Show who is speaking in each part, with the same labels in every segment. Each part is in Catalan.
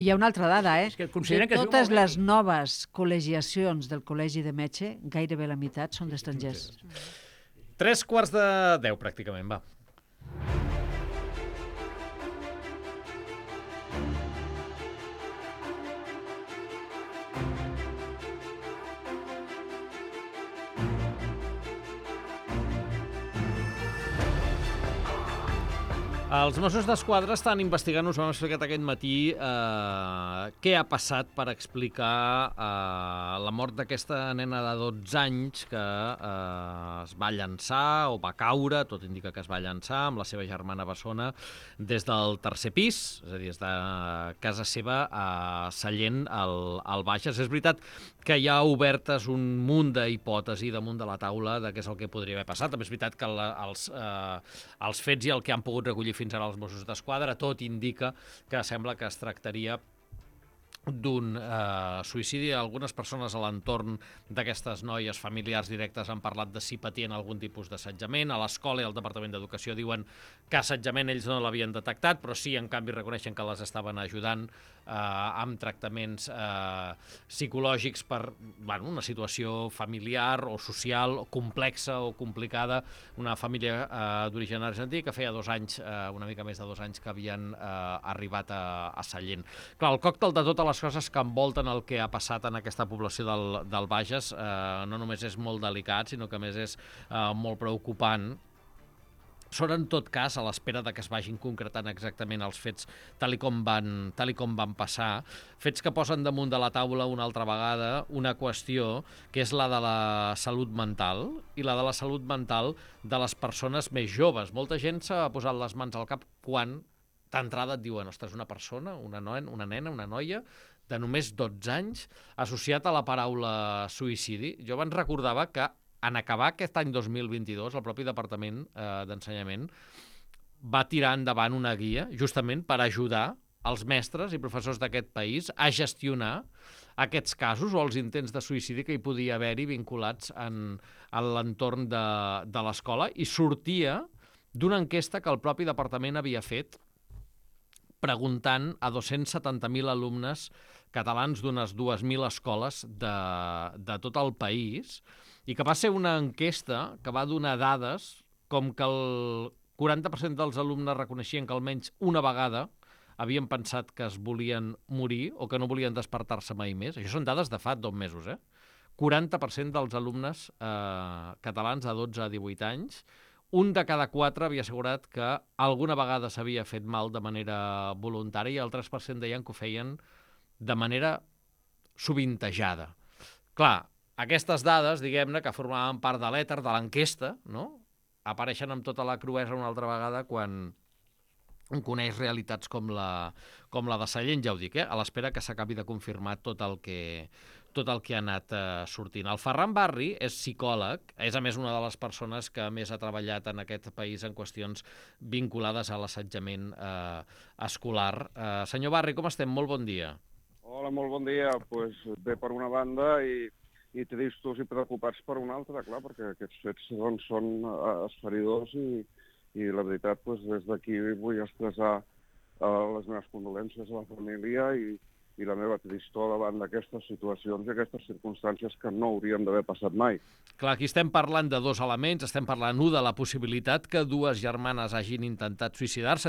Speaker 1: Hi ha una altra dada,
Speaker 2: És que
Speaker 1: De
Speaker 2: consideren que es viu
Speaker 1: totes
Speaker 2: molt bé
Speaker 1: les
Speaker 2: aquí.
Speaker 1: noves col·legiacions del Col·legi de Metge, gairebé la meitat són d'estrangers.
Speaker 2: 3:45, pràcticament, va. Els Mossos d'Esquadra estan investigant, us ho hem explicat aquest matí, què ha passat per explicar la mort d'aquesta nena de 12 anys que es va llançar o va caure, tot indica que es va llançar, amb la seva germana bessona, des del tercer pis, és a dir, des de casa seva a Sallent, al Bages. És veritat que hi ha obertes un munt d'hipòtesi damunt de la taula de què és el que podria haver passat. També és veritat que els fets i el que han pogut recollir fins ara els Mossos d'Esquadra, tot indica que sembla que es tractaria d'un suïcidi. Algunes persones a l'entorn d'aquestes noies, familiars directes, han parlat de si patien algun tipus d'assetjament. A l'escola i al Departament d'Educació diuen que assetjament ells no l'havien detectat, però sí, en canvi, reconeixen que les estaven ajudant amb tractaments psicològics per una situació familiar o social o complexa o complicada. Una família d'origen argentí que feia 2 anys, una mica més de 2 anys, que havien arribat a Sallent. Clar, el còctel de totes les coses que envolten el que ha passat en aquesta població del Bages no només és molt delicat, sinó que a més és molt preocupant. Són, en tot cas, a l'espera de que es vagin concretant exactament els fets tal i com van passar, fets que posen damunt de la taula una altra vegada una qüestió que és la de la salut mental i la de la salut mental de les persones més joves. Molta gent s'ha posat les mans al cap quan d'entrada et diuen, ostres, una persona, una nena, una noia de només 12 anys associat a la paraula suïcidi. Jo abans recordava que en acabar aquest any 2022, el propi Departament d'Ensenyament va tirar endavant una guia justament per ajudar els mestres i professors d'aquest país a gestionar aquests casos o els intents de suïcidi que hi podia haver-hi vinculats en l'entorn de l'escola, i sortia d'una enquesta que el propi departament havia fet preguntant a 270.000 alumnes catalans d'unes 2.000 escoles de tot el país, i que va ser una enquesta que va donar dades com que el 40% dels alumnes reconeixien que almenys una vegada havien pensat que es volien morir o que no volien despertar-se mai més. Això són dades de fa 2 mesos, 40% dels alumnes catalans de 12 a 18 anys, un de cada 4 havia assegurat que alguna vegada s'havia fet mal de manera voluntària i el 3% deien que ho feien de manera sovintejada. Clar, aquestes dades, diguem-ne, que formaven part de l'èter, de l'enquesta, no?, apareixen amb tota la cruesa una altra vegada quan coneix realitats com la de Sallent, ja ho dic, a l'espera que s'acabi de confirmar tot el que ha anat sortint. El Ferran Barri és psicòleg, és a més una de les persones que més ha treballat en aquest país en qüestions vinculades a l'assetjament escolar. Senyor Barri, com estem? Molt bon dia.
Speaker 3: Hola, molt bon dia. Pues bé per una banda i tristos i preocupats per una altra, clar, perquè aquests fets doncs, són esferidors i la veritat, pues, des d'aquí vull expressar les meves condolències a la família i la meva tristor davant d'aquestes situacions i aquestes circumstàncies que no haurien d'haver passat mai.
Speaker 2: Clar, aquí estem parlant de 2 elements, estem parlant, de la possibilitat que 2 germanes hagin intentat suïcidar-se,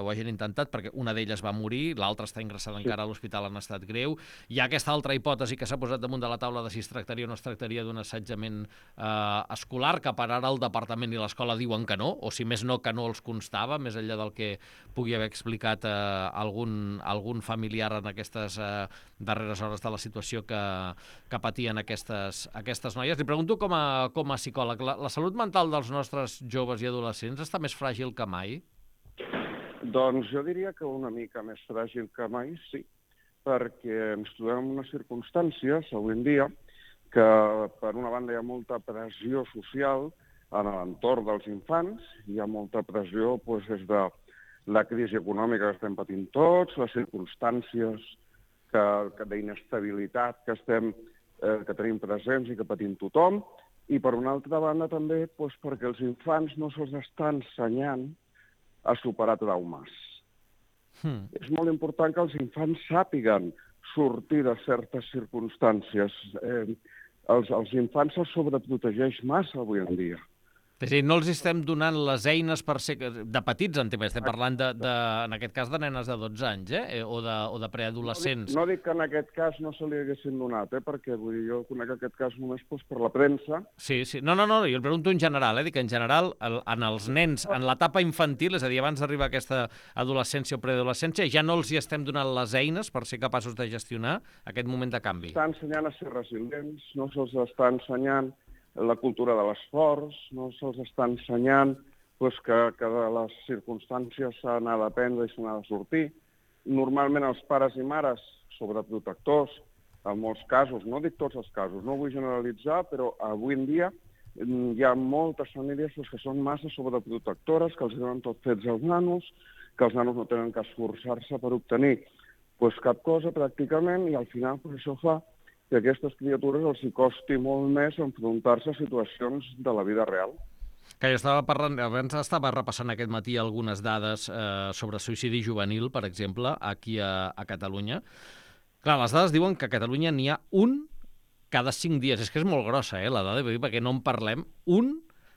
Speaker 2: ho hagin intentat perquè una d'elles va morir, l'altra està ingressada encara a l'hospital en estat greu. Hi ha aquesta altra hipòtesi que s'ha posat damunt de la taula de si es tractaria o no es tractaria d'un assetjament escolar, que per ara el departament i l'escola diuen que no, o si més no, que no els constava, més enllà del que pugui haver explicat algun familiar en aquestes darreres hores de la situació que patien aquestes noies. Li pregunto com a psicòleg, la salut mental dels nostres joves i adolescents està més fràgil que mai?
Speaker 3: Doncs jo diria que una mica més fràgil que mai, sí, perquè ens trobem en unes circumstàncies avui en dia que, per una banda, hi ha molta pressió social en l'entorn dels infants, hi ha molta pressió doncs, des de la crisi econòmica que estem patint tots, les circumstàncies d'inestabilitat que tenim presents i que patim tothom, i per una altra banda també doncs, perquè els infants no se'ls està ensenyant a superar traumes. És molt important que els infants sàpiguen sortir de certes circumstàncies. Els infants se'ls sobreprotegeix massa avui en dia.
Speaker 2: És a dir, no els estem donant les eines per ser... De petits, estem parlant, en aquest cas, de nenes de 12 anys, o de preadolescents.
Speaker 3: No dic que en aquest cas no se li haguessin donat, perquè vull dir, jo conec aquest cas només per la premsa.
Speaker 2: Sí. No, jo el pregunto en general, dic que en general, en els nens, en l'etapa infantil, és a dir, abans d'arribar a aquesta adolescència o preadolescència, ja no els hi estem donant les eines per ser capaços de gestionar aquest moment de canvi.
Speaker 3: Està ensenyant a ser resilients, no se'ls està ensenyant la cultura de l'esforç, no se'ls està ensenyant que de les circumstàncies s'ha d'anar d'aprendre i s'ha d'anar de sortir. Normalment els pares i mares, sobreprotectors, en molts casos, no dic tots els casos, no vull generalitzar, però avui en dia hi ha moltes famílies que són massa sobreprotectores, que els donen tot fets als nanos, que els nanos no tenen que esforçar-se per obtenir cap cosa pràcticament, i al final això fa que a aquestes criatures els hi costi molt més enfrontar-se a situacions de la vida real.
Speaker 2: Que jo estava parlant, abans estava repassant aquest matí algunes dades sobre suïcidi juvenil, per exemple, aquí a Catalunya. Clar, les dades diuen que a Catalunya n'hi ha un cada 5 dies. És que és molt grossa, la dada, perquè no en parlem. Un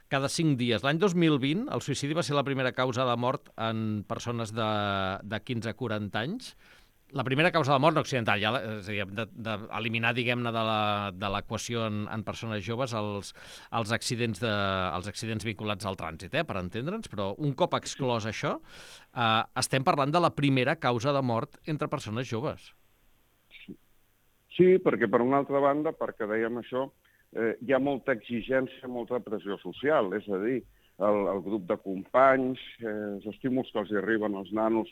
Speaker 2: cada 5 dies. L'any 2020 el suïcidi va ser la primera causa de mort en persones de 15 a 40 anys. La primera causa de mort no accidental, ja, és a dir, d'eliminar, diguem-ne, de l'equació en persones joves els accidents vinculats al trànsit, per entendre'ns, però un cop exclòs això, estem parlant de la primera causa de mort entre persones joves.
Speaker 3: Sí, perquè per una altra banda, perquè dèiem això, hi ha molta exigència, molta pressió social, és a dir, el grup de companys, els estímuls que els arriben als nanos,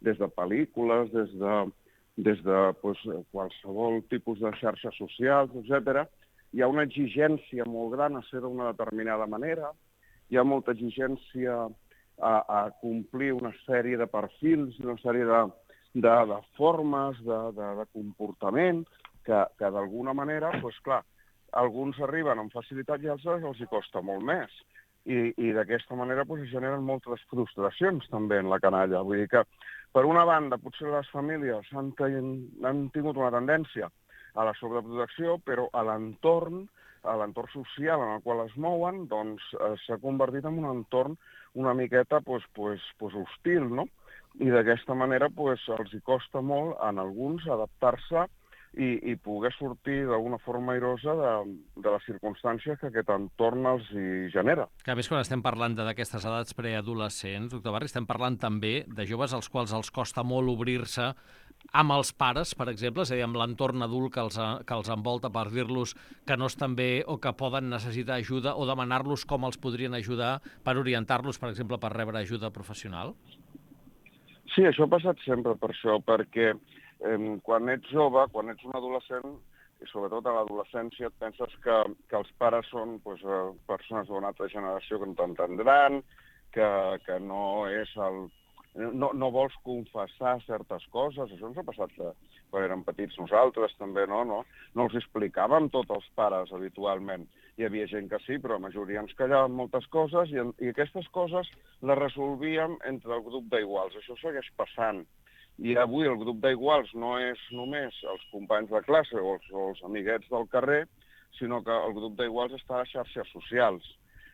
Speaker 3: des de pel·lícules, des de qualsevol tipus de xarxes socials, etc. Hi ha una exigència molt gran a ser d'una determinada manera, hi ha molta exigència a complir una sèrie de perfils, una sèrie de formes, de comportament, que d'alguna manera, clar, alguns arriben amb facilitat i altres els hi costa molt més. I d'aquesta manera es generen moltes frustracions també en la canalla. Vull dir que, per una banda, potser les famílies han tingut una tendència a la sobreprotecció, però a l'entorn social en el qual es mouen, doncs s'ha convertit en un entorn una miqueta hostil, no? I d'aquesta manera els hi costa molt, en alguns, adaptar-se i poder sortir d'alguna forma airosa de les circumstàncies que aquest entorn els hi genera.
Speaker 2: Que a més, quan estem parlant d'aquestes edats preadolescents, doctor Barri, estem parlant també de joves als quals els costa molt obrir-se amb els pares, per exemple, és a dir, amb l'entorn adult que els envolta, per dir-los que no estan bé o que poden necessitar ajuda, o demanar-los com els podrien ajudar per orientar-los, per exemple, per rebre ajuda professional?
Speaker 3: Sí, això ha passat sempre per això, perquè quan ets jove, quan ets un adolescent, i sobretot a l'adolescència, et penses que els pares són persones d'una altra generació que no t'entendran, que no és no vols confessar certes coses. Això ens ha passat quan érem petits nosaltres, també, no? No els explicàvem tot als pares habitualment. Hi havia gent que sí, però la majoria ens callaven moltes coses i aquestes coses les resolvíem entre el grup d'iguals. Això segueix passant. I avui el grup d'iguals no és només els companys de classe o els amiguets del carrer, sinó que el grup d'iguals està a les xarxes socials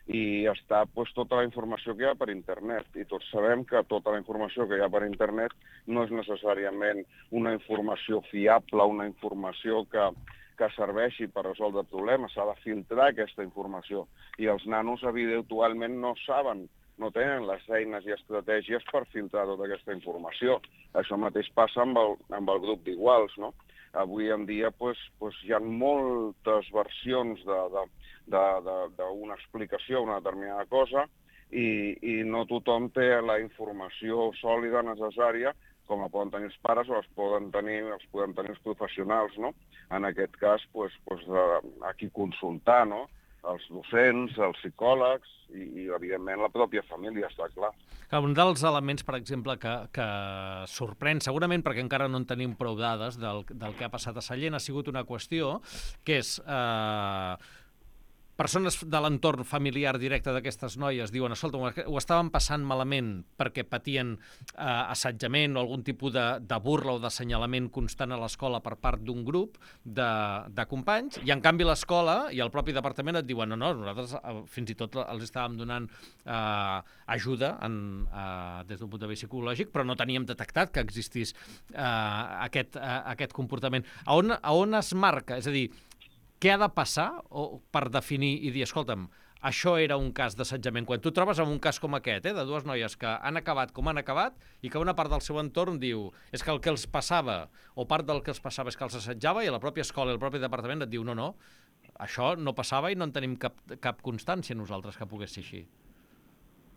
Speaker 3: i està tota la informació que hi ha per internet. I tots sabem que tota la informació que hi ha per internet no és necessàriament una informació fiable, una informació que serveixi per resoldre problemes. S'ha de filtrar aquesta informació. I els nanos habitualment no saben, no tenen les eines i estratègies per filtrar tota aquesta informació. Això mateix passa amb el grup d'iguals, no? Avui en dia hi ha moltes versions d'una explicació a una determinada cosa i no tothom té la informació sòlida necessària com la poden tenir els pares o els podem tenir els professionals, no? En aquest cas, a qui consultar, no? Els docents, els psicòlegs i, evidentment, la pròpia família, està clar.
Speaker 2: Un dels elements, per exemple, que sorprèn, segurament perquè encara no en tenim prou dades del que ha passat a Sallent, ha sigut una qüestió que és persones de l'entorn familiar directe d'aquestes noies diuen, escolta, ho estaven passant malament perquè patien assetjament o algun tipus de burla o d'assenyalament constant a l'escola per part d'un grup de companys, i en canvi l'escola i el propi departament et diuen no, nosaltres fins i tot els estàvem donant ajuda des d'un punt de vista psicològic, però no teníem detectat que existís aquest comportament. A on es marca? És a dir, què ha de passar per definir i dir, escolta'm, això era un cas d'assetjament? Quan tu trobes en un cas com aquest, de dues noies que han acabat com han acabat i que una part del seu entorn diu és que el que els passava, o part del que els passava és que els assetjava, i la pròpia escola i el propi departament et diu no, això no passava i no en tenim cap constància nosaltres que pogués ser així.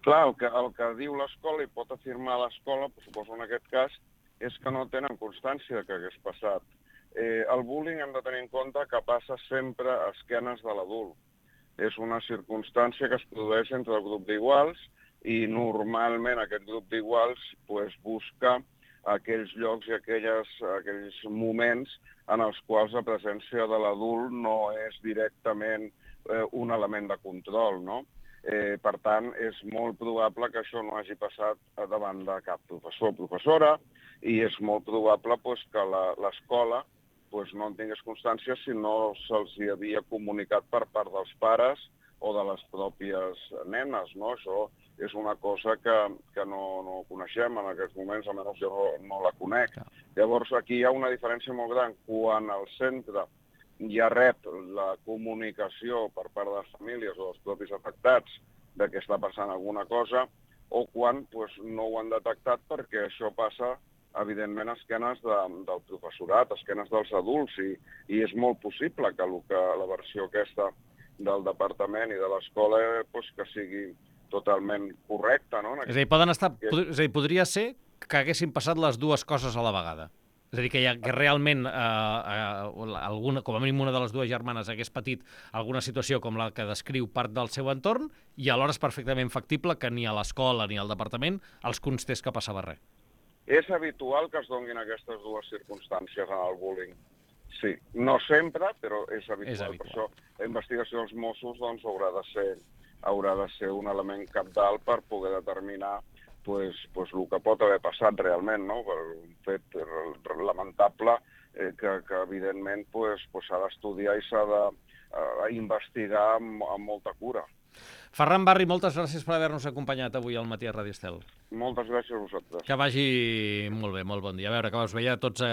Speaker 3: Clar, el que diu l'escola i pot afirmar l'escola, suposo en aquest cas, és que no tenen constància que hagués passat. El bullying hem de tenir en compte que passa sempre a esquenes de l'adult. És una circumstància que es produeix entre el grup d'iguals i normalment aquest grup d'iguals busca aquells llocs i aquells moments en els quals la presència de l'adult no és directament un element de control, no? Per tant, és molt probable que això no hagi passat davant de cap professor o professora, i és molt probable que l'escola no en tingués constància si no se'ls havia comunicat per part dels pares o de les pròpies nenes, no? Això és una cosa que no coneixem en aquests moments, almenys jo no la conec. Llavors, aquí hi ha una diferència molt gran. Quan el centre ja rep la comunicació per part de les famílies o dels propis afectats de que està passant alguna cosa, o quan no ho han detectat perquè això passa evidentment a esquenes del professorat, a esquenes dels adults, i és molt possible que la versió aquesta del departament i de l'escola que sigui totalment correcta, no?
Speaker 2: És a dir, podria ser que haguessin passat les dues coses a la vegada. És a dir, que realment com a mínim una de les dues germanes hagués patit alguna situació com la que descriu part del seu entorn, i alhora és perfectament factible que ni a l'escola ni al departament els constés que passava res.
Speaker 3: És habitual que es donguin aquestes dues circumstàncies en el bullying. Sí, no sempre, però és habitual. Per això la investigació dels Mossos haurà de ser un element cabdal per poder determinar el que pot haver passat realment, no? Per un fet lamentable que evidentment s'ha d'estudiar i s'ha d'investigar amb molta cura.
Speaker 2: Ferran Barri, moltes gràcies per haver-nos acompanyat avui al Matí a Ràdio Estel.
Speaker 3: Moltes gràcies a vosaltres.
Speaker 2: Que vagi molt bé, molt bon dia. A veure, que us veia tots